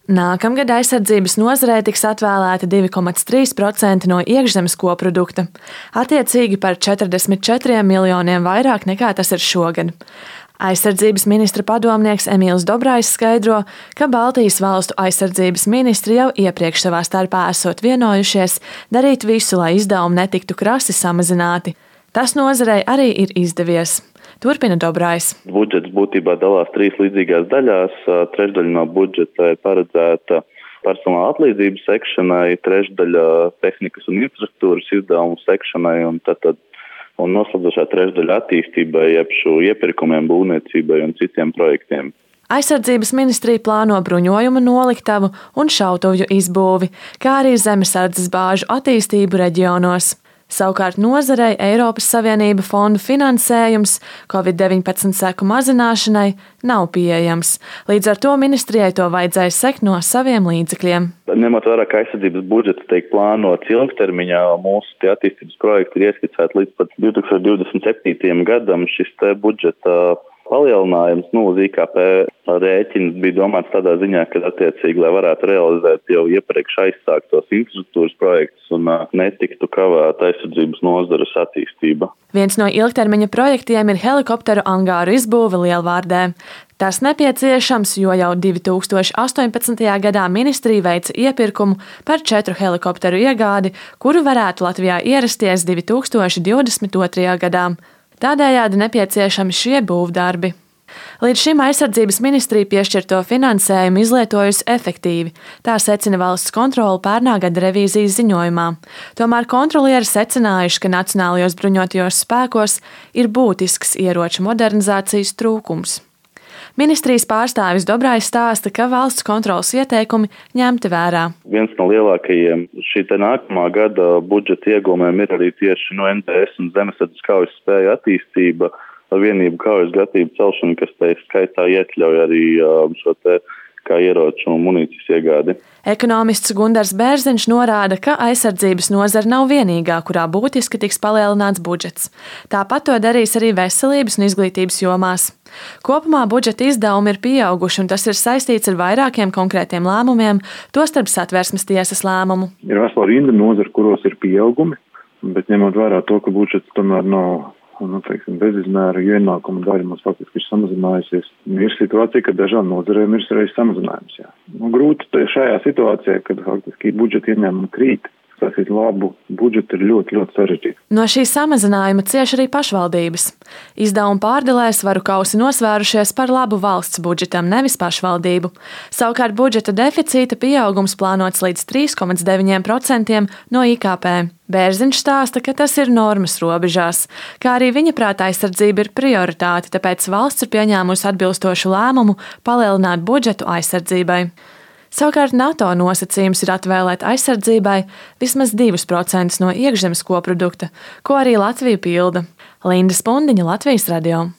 Nākamgad aizsardzības nozarei tiks atvēlēta 2,3% no iekšzemes koprodukta, attiecīgi par 44 miljoniem vairāk nekā tas ir šogad. Aizsardzības ministra padomnieks Emīls Dobrais skaidro, ka Baltijas valstu aizsardzības ministri jau iepriekš savā starpā esot vienojušies darīt visu, lai izdevumi netiktu krasi samazināti. Tas nozarei arī ir izdevies. Turpina Dobrais. Budžets būtībā dalās 3 līdzīgās daļās. Trešdaļa no budžeta ir paredzēta personāla atlīdzību sekšanai, trešdaļa tehnikas un infrastruktūras izdevumu sekšanai un noslēdzošā trešdaļa attīstībai, jeb šo iepirkumiem, būvniecībai un citiem projektiem. Aizsardzības ministrija plāno bruņojumu noliktavu un šautuvju izbūvi, kā arī zemesardzes bāžu attīstību reģionos. Savukārt nozarei Eiropas Savienība fondu finansējums Covid-19 seku mazināšanai nav pieejams. Līdz ar to ministrijai to vajadzēja sekt no saviem līdzekļiem. Ņemot vērā, ka aizsardzības budžets tiek plānots ilgtermiņā, mūsu attīstības projekti ir ieskicēti līdz pat 2027. gadam. Šis budžeta palielinājums uz IKP rēķins bija domāts tādā ziņā, ka attiecīgi, lai varētu realizēt jau iepriekš aizsāktos infrastruktūras projektus un netiktu kavēt aizsardzības nozares attīstība. Viens no ilgtermiņa projektiem ir helikopteru angāru izbūve Lielvārdē. Tas nepieciešams, jo jau 2018. gadā ministrija veica iepirkumu par 4 helikopteru iegādi, kuru varētu Latvijā ierasties 2022. gadā. Tādējādi nepieciešami šie būvdarbi. Līdz šim aizsardzības ministrija piešķirto finansējumu izlietojusi efektīvi, tā secina valsts kontrole pērnā gada revīzijas ziņojumā. Tomēr kontrolieri secinājuši, ka nacionālajos bruņotajos spēkos ir būtisks ieroču modernizācijas trūkums. Ministrijas pārstāvis Dobrais stāsta, ka valsts kontroles ieteikumi ņemti vērā. Viens no lielākajiem šī nākamā gada budžeta iegūmiem ir arī tieši no NDS un zemesardzes kaujas spēju attīstība, vienību kaujas gatavību celšana, kas te skaitā iekļauj arī šo kā ieroču un munīcijas iegādi. Ekonomists Gundars Bērziņš norāda, ka aizsardzības nozara nav vienīgā, kurā būtiski tiks palielināts budžets. Tāpat to darīs arī veselības un izglītības jomās. Kopumā budžeta izdevumi ir pieauguši, un tas ir saistīts ar vairākiem konkrētiem lēmumiem, tostarp Satversmes tiesas lēmumu. Ir vesela rinda nozara, kuros ir pieaugumi, bet ņemot vērā to, ka budžets tomēr nav bezizmēra ienākuma daļa mums faktiski ir samazinājusies. Ir situācija, ka dažām nozarēm ir reiz samazinājums. Grūti šajā situācijā, kad faktiski budžeta ieņēmumi krīt, sasīt labu budžetu ir ļoti, ļoti sarežģīti. No šī samazinājuma cieš arī pašvaldības. Izdevuma pārdalē svaru kausi nosvērušies par labu valsts budžetam, nevis pašvaldību. Savukārt budžeta deficīta pieaugums plānots līdz 3,9% no IKP. Bērziņš stāsta, ka tas ir normas robežās, kā arī viņa prātā aizsardzība ir prioritāte, tāpēc valsts ir pieņēmusi atbilstošu lēmumu palielināt budžetu aizsardzībai. Savukārt NATO nosacījums ir atvēlēt aizsardzībai vismaz 2% no iekšzemes koprodukta, ko arī Latvija pilda. Linda Spundiņa, Latvijas radio.